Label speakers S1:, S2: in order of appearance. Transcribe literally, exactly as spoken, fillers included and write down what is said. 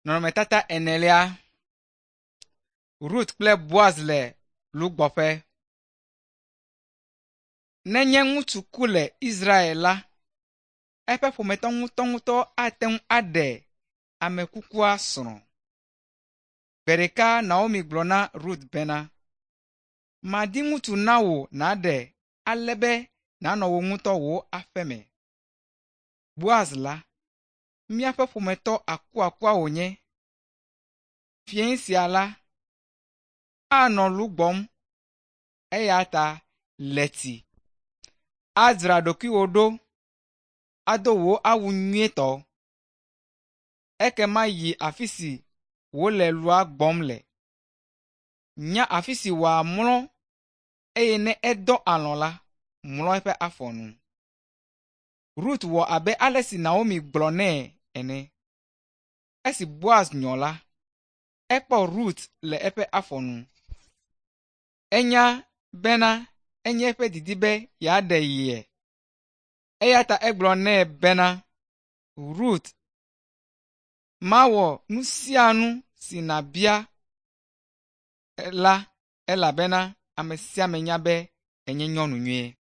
S1: Nɔnɔmetata enelia. Rut kple Boaz le lugbɔƒe. Nenye ŋutsu ku le Israel la, eƒe ƒometɔ ŋutɔŋutɔ ate ŋu aɖe ame kukua srɔ̃. Gbe ɖeka Naomi gblɔ na Rut bena, “Madi ŋutsu na wò nàɖe ale be nànɔ wò ŋutɔ wò aƒe me. Boaz la, míaƒe ƒometɔ akuakua wònye. Fiẽ sia la, anɔ lu gbɔm eya ta le tsi, adzra ɖokuiwò ɖo, ado wò awu nyuietɔ. Ekema yi afi si wòle lua gbɔm le. Nya afi si wòamlɔ eye ne edɔ alɔ̃ la, mlɔ eƒe afɔ nu.” Rut wɔ abe ale si Naomi gblɔ nɛ ene. Esi Boaz nyɔ la, ekpɔ Rut le eƒe afɔ nu. Enya bena enye eƒe didi be yeaɖe ye. Eya ta egblɔ nɛ bena, “Rut, mawɔ nu sia nu si nàbia la elabena ame sia ame nya be ènye nyɔnu nyui.”